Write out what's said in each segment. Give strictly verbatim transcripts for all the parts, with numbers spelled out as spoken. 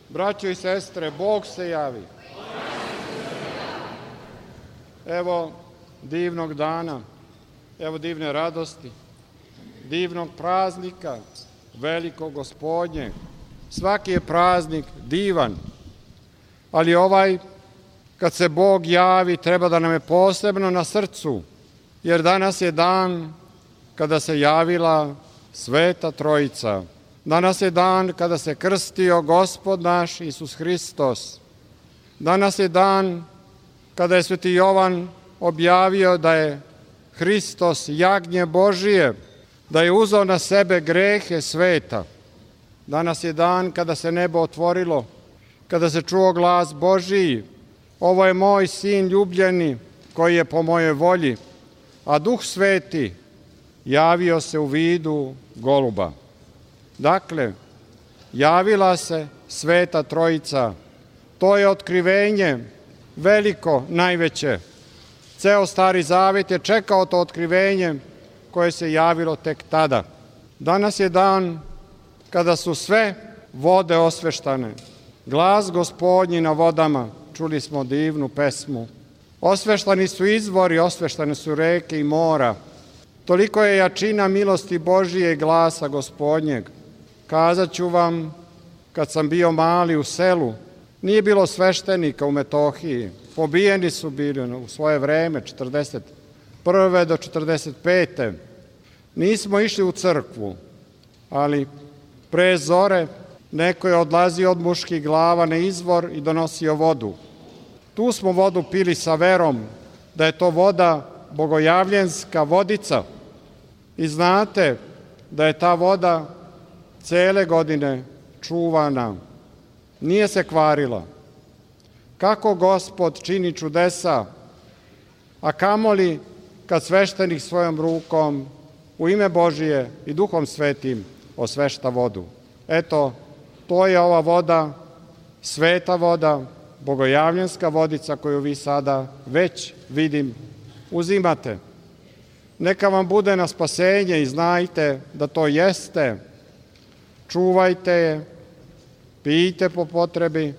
Braćo i sestre, Bog se javi. Evo divnog dana, evo divne radosti, divnog praznika, velikog Gospodnjeg. Svaki je praznik divan, ali ovaj, kad se Bog javi, treba da nam je posebno na srcu, jer danas je dan kada se javila Sveta Trojica. Danas je dan kada se krstio Gospod naš Isus Hristos. Danas je dan kada je Sveti Jovan objavio da je Hristos jagnje Božije, da je uzeo na sebe grehe sveta. Danas je dan kada se nebo otvorilo, kada se čuo glas Božiji. Ovo je moj sin ljubljeni koji je po mojoj volji, a Duh Sveti javio se u vidu goluba. Dakle, javila se Sveta Trojica. To je otkrivenje veliko, najveće. Ceo Stari Zavet je čekao to otkrivenje koje se javilo tek tada. Danas je dan kada su sve vode osveštane. Glas Gospodnji na vodama, čuli smo divnu pesmu. Osveštani su izvori, osveštane su reke i mora. Toliko je jačina milosti Božije i glasa Gospodnjeg. Kazat ću vam, kad sam bio mali u selu, nije bilo sveštenika u Metohiji. Pobijeni su bili u svoje vreme, četrdeset prve do četrdeset pete Nismo išli u crkvu, ali pre zore neko je odlazio od muških glava na izvor i donosio vodu. Tu smo vodu pili sa verom da je to voda bogojavljenska vodica. I znate da je ta voda cele godine čuvana, nije se kvarila. Kako Gospod čini čudesa, a kamoli kad sveštenik svojom rukom u ime Božije i Duhom Svetim osvešta vodu. Eto, to je ova voda, sveta voda, bogojavljenska vodica koju vi sada već, vidim, uzimate. Neka vam bude na spasenje i znajte da to jeste. Čuvajte je, pijte po potrebi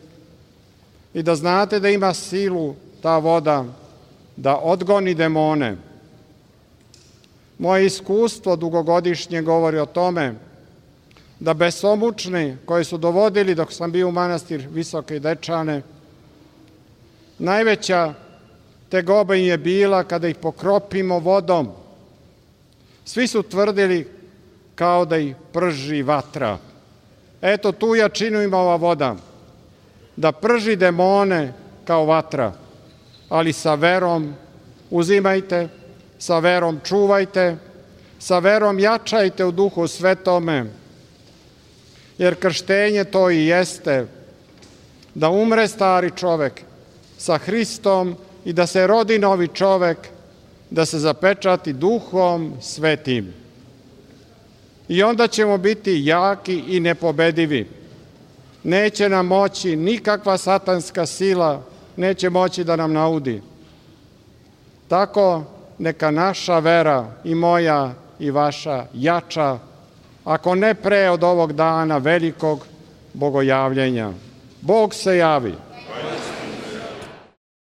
i da znate da ima silu ta voda da odgoni demone. Moje iskustvo dugogodišnje govori o tome da besomučni koji su dovodili dok sam bio u manastir Visoke Dečane, najveća tegoba im je bila kada ih pokropimo vodom. Svi su tvrdili kao da ih prži vatra. Eto, tu jačinu ima ova voda, da prži demone kao vatra, ali sa verom uzimajte, sa verom čuvajte, sa verom jačajte u Duhu Svetome, jer krštenje to i jeste, da umre stari čovek sa Hristom i da se rodi novi čovek, da se zapečati Duhom Svetim. I onda ćemo biti jaki i nepobedivi. Neće nam moći nikakva satanska sila, neće moći da nam naudi. Tako neka naša vera, i moja i vaša, jača, ako ne pre od ovog dana velikog bogojavljenja. Bog se javi.